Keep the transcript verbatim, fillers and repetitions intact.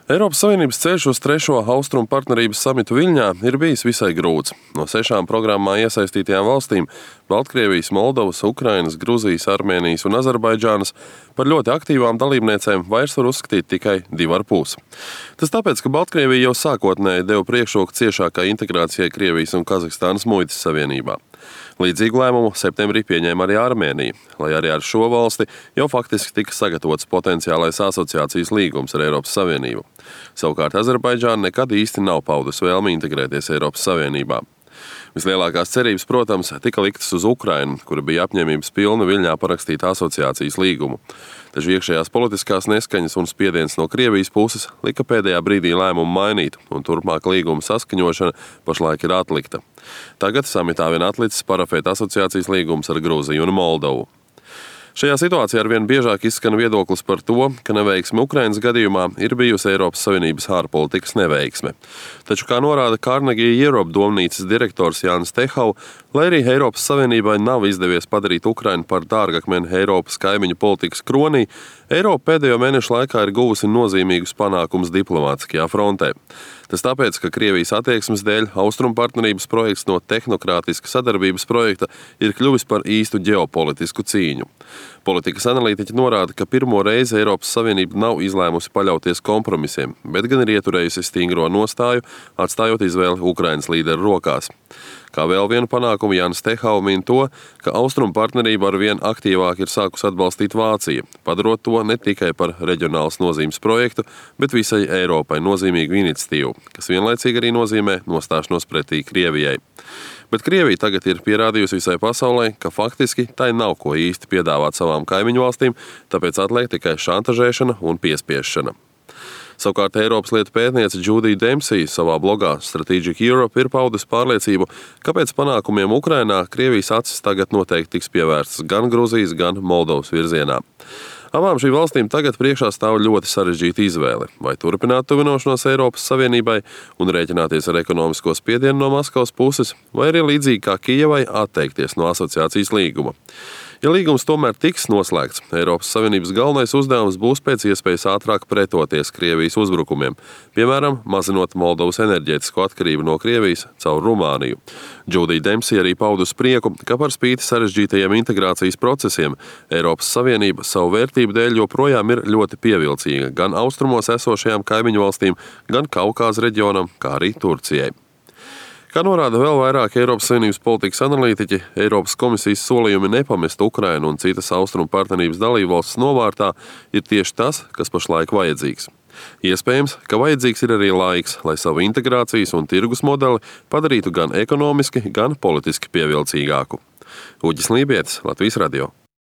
Eiropas Savienības ceļš uz trešo Austrumu partnerības samitu Viļņā ir bijis visai grūts. No sešām programmā iesaistītajām valstīm – Baltkrievijas, Moldovas, Ukrainas, Gruzijas, Armēnijas un Azerbaidžānas – par ļoti aktīvām dalībniecēm vairs var uzskatīt tikai divi ar pus. Tas tāpēc, ka Baltkrievija jau sākotnēji deva priekšroku ciešākai integrācijai Krievijas un Kazahstānas muitas savienībā. Līdzīgu lēmumu septembrī pieņēma arī Armēnija, lai arī ar šo valsti jau faktiski tika sagatavots potenciālais asociācijas līgums ar Eiropas Savienību. Savukārt Azerbaidžāna nekad īsti nav paudusi vēlmi integrēties Eiropas Savienībā. Vislielākās cerības, protams, tika liktas uz Ukrainu, kura bija apņēmības pilna Viļņā parakstīt asociācijas līgumu. Taču iekšējās politiskās neskaņas un spiediens no Krievijas puses lika pēdējā brīdī lēmumu mainīt, un turpmāk līguma saskaņošana pašlaik ir atlikta. Tagad samitā vien atlicis parafēt asociācijas līgums ar Gruziju un Moldovu. Šajā situācijā arvien biežāk izskan viedoklis par to, ka neveiksme Ukrainas gadījumā ir bijusi Eiropas Savienības ārpolitikas neveiksme. Taču, kā norāda Carnegie Europe domnīcas direktors Jānis Tehau, lai arī Eiropas Savienībai nav izdevies padarīt Ukrainu par dārgakmeni Eiropas kaimiņu politikas kronī, Eiropa pēdējo mēnešu laikā ir guvusi nozīmīgus panākumus diplomātiskajā frontē. Tas tāpēc, ka Krievijas attieksmes dēļ Austrumu partnerības projekts no tehnokrātiska sadarbības projekta ir kļuvis par īstu ģeopolitisku cīņu. Politikas analītiķi norāda, ka pirmo reizi Eiropas Savienība nav izlēmusi paļauties kompromisiem, bet gan ir ieturējusi stingro nostāju, atstājot izvēli Ukrainas līderu rokās. Kā vēl vienu panākumu Jānis Tehau min to, ka Austrumu partnerību arvien aktīvāk ir sākus atbalstīt Vācija, padarot to ne tikai par reģionālas nozīmes projektu, bet visai Eiropai nozīmīgu iniciatīvu, kas vienlaicīgi arī nozīmē nostāšanos pretī Krievijai. Bet Krievija tagad ir pierādījusi visai pasaulē, ka faktiski tai nav ko īsti piedāvāt savām kaimiņu valstīm, tāpēc atliek tikai šantažēšana un piespiešana. Savukārt Eiropas lietu pētniece Džūdija Dempsija savā blogā Strategic Europe ir paudusi pārliecību, ka pēc panākumiem Ukrainā Krievijas acis tagad noteikti tiks pievērstas gan Gruzijas, gan Moldovas virzienā. Abām šīm valstīm tagad priekšā stāv ļoti sarežģīta izvēle – vai turpināt tuvinošanos Eiropas Savienībai un rēķināties ar ekonomisko spiedienu no Maskavas puses, vai arī līdzīgi kā Kijevai atteikties no asociācijas līguma. Ja līgums tomēr tiks noslēgts, Eiropas Savienības galvenais uzdevums būs pēc iespējas ātrāk pretoties Krievijas uzbrukumiem, piemēram, mazinot Moldovas enerģētisko atkarību no Krievijas caur Rumāniju. Džūdija Dempsija arī paudusi prieku, ka par spīti sarežģītajiem integrācijas procesiem Eiropas Savienība savu vērtību dēļ joprojām ir ļoti pievilcīga gan austrumos esošajām kaimiņu valstīm, gan Kaukāza reģionam, kā arī Turcijai. Kā norāda vēl vairāk Eiropas Savienības politikas analītiķi, Eiropas komisijas solījumi nepamest Ukrainu un citas Austrumu partnerības dalībvalstis novārtā ir tieši tas, kas pašlaik vajadzīgs. Iespējams, ka vajadzīgs ir arī laiks, lai savu integrācijas un tirgus modeli padarītu gan ekonomiski, gan politiski pievilcīgāku. Uģis Lībietis, Latvijas radio.